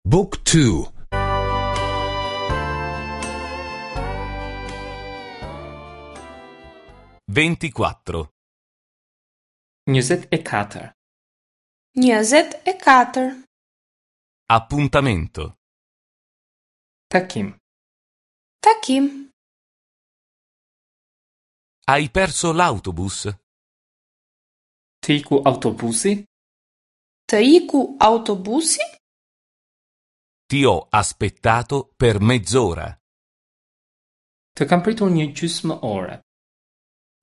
Book 2 24. 24. 24. Appuntamento. Takim. Takim. Hai perso l'autobus? Të iku autobusi? Të iku autobusi? Ti ho aspettato per mezz'ora. Të kam pritur një gjysmë ore.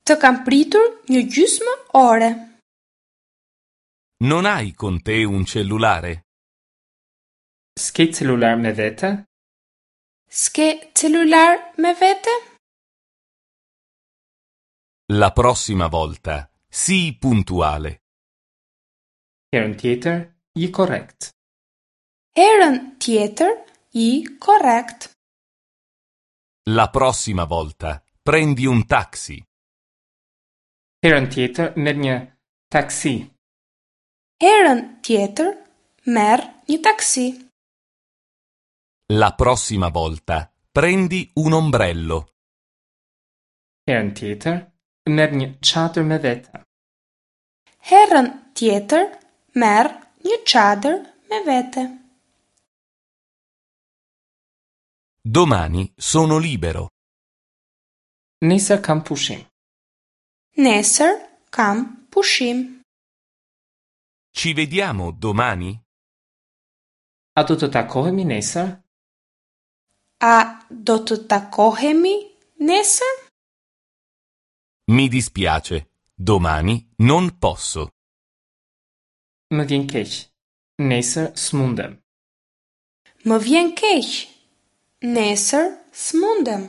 Të kam pritur një gjysmë ore. Non hai con te un cellulare? S'ke celular me vete? S'ke celular me vete? La prossima volta sii puntuale. Herën tjetër, ji korrekt. Herën tjetër ji korrekt. La prossima volta prendi un taxi. Herën tjetër merr një taksi. Herën tjetër merr një taksi. La prossima volta prendi un ombrello. Herën tjetër merr një çadër me vete. Herën tjetër merr një çadër me vete. Domani sono libero. Nesër kam pushim. Nesër kam pushim. Ci vediamo domani? A do të takohemi nesër? A do të takohemi nesër? Mi dispiace, domani non posso. Më vjen keq. Nesër s'mundem. Më vjen keq. Nesër s'mundem.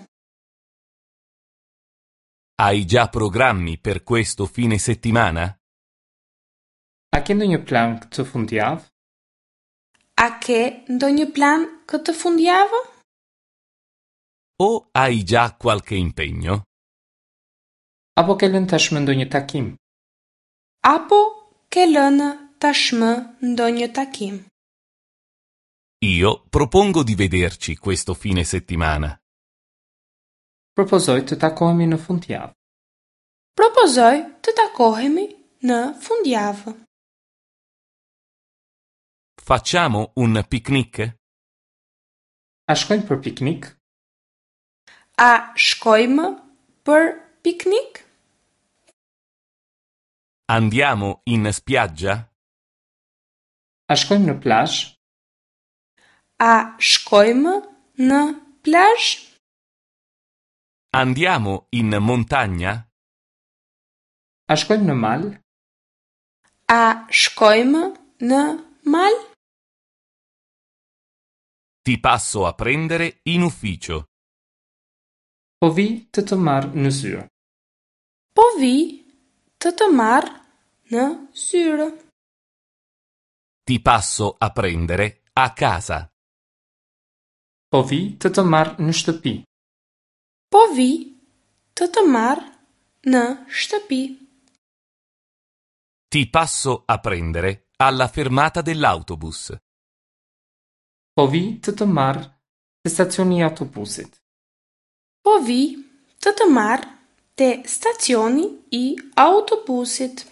Hai già programmi per questo fine settimana? A ke ndonjë plan këtë fundjavë? A ke ndonjë plan këtë fundjavë? O hai già qualche impegno? Apo ke lënë tashmë ndonjë takim? Apo ke lënë tashmë ndonjë takim? Io propongo di vederci questo fine settimana. Propozoj të takohemi në fundjavë. Propozoj të takohemi në fundjavë. Facciamo un picnic? A shkojmë për piknik? A shkojmë për piknik? Andiamo in spiaggia? A shkojmë në plazh? A shkojmë në plazh? Andiamo in montagna? A shkojmë në mal? A shkojmë në mal? Ti passo a prendere in ufficio. Po vi të të marr në zyrë. Po vi të të marr në zyrë. Ti passo a prendere a casa. Po vi të të marr në shtëpi. Po vi të të marr në shtëpi. Ti passo a prendere alla fermata dell'autobus. Po vi të të marr te stacioni i autobusit. Po vi të të marr te stacioni i autobusit.